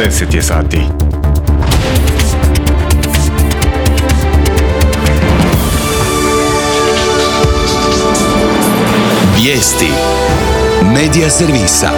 10 je sati. Vijesti Medija servisa.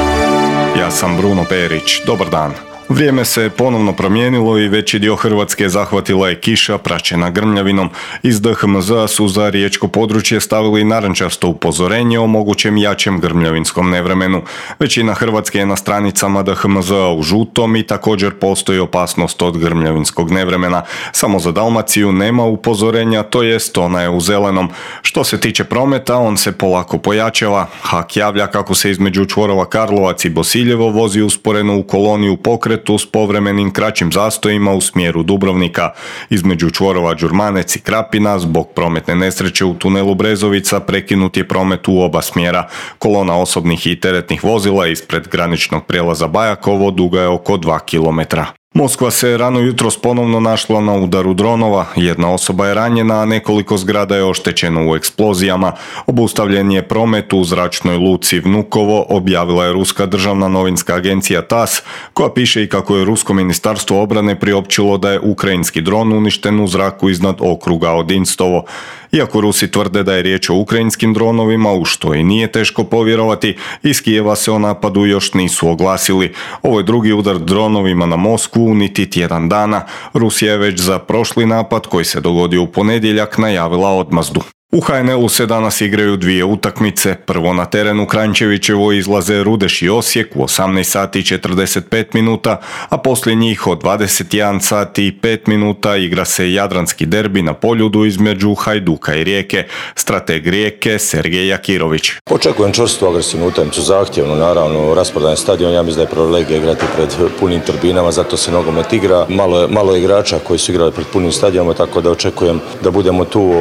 Ja sam Bruno Perić. Dobar dan. Vrijeme se ponovno promijenilo i veći dio Hrvatske zahvatila je kiša praćena grmljavinom. Iz DHMZ-a su za riječko područje stavili narančasto upozorenje o mogućem jačem grmljavinskom nevremenu. Većina Hrvatske je na stranicama DHMZ-a u žutom i također postoji opasnost od grmljavinskog nevremena. Samo za Dalmaciju nema upozorenja, to jest ona je u zelenom. Što se tiče prometa, on se polako pojačava. HAK javlja kako se između čvorova Karlovac i Bosiljevo vozi usporeno u koloni u pokretu s povremenim kraćim zastojima u smjeru Dubrovnika. Između čvorova Đurmanec i Krapina zbog prometne nesreće u tunelu Brezovica prekinut je promet u oba smjera. Kolona osobnih i teretnih vozila ispred graničnog prijelaza Bajakovo duga je oko 2 km. Moskva se rano jutros ponovno našla na udaru dronova. Jedna osoba je ranjena, a nekoliko zgrada je oštećeno u eksplozijama. Obustavljen je promet u zračnoj luci Vnukovo, objavila je ruska državna novinska agencija TASS, koja piše i kako je rusko ministarstvo obrane priopćilo da je ukrajinski dron uništen u zraku iznad okruga Odinstovo. Iako Rusi tvrde da je riječ o ukrajinskim dronovima, u što i nije teško povjerovati, iz Kijeva se o napadu još nisu oglasili. Ovo je drugi udar dronovima na Moskvu niti tjedan dana. Rusija je već za prošli napad, koji se dogodio u ponedjeljak, najavila odmazdu. U HNL-u se danas igraju dvije utakmice. Prvo na terenu Kranjčevićevo izlaze Rudeš i Osijek u 18 sati i 45 minuta, a poslije njih od 21 sati i 5 minuta igra se jadranski derbi na Poljudu između Hajduka i Rijeke. Strateg Rijeke Sergej Jakirović. Očekujem čvrstu agresivnu utakmicu, zahtjevnu, naravno, rasprodan stadion, ja mislim da je privilegija igrati pred punim turbinama, zato se nogomet igra. Malo je igrača koji su igrali pred punim stadionima, tako da očekujem da budemo tu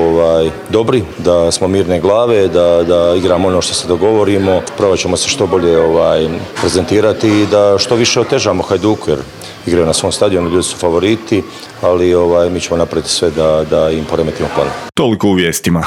dobri, da smo mirne glave, da igramo ono što se dogovorimo, probat ćemo se što bolje prezentirati i da što više otežamo Hajduku, jer igraju na svom stadionu, ljudi su favoriti, ali mi ćemo napraviti sve da im poremetimo plan. Toliko u vijestima.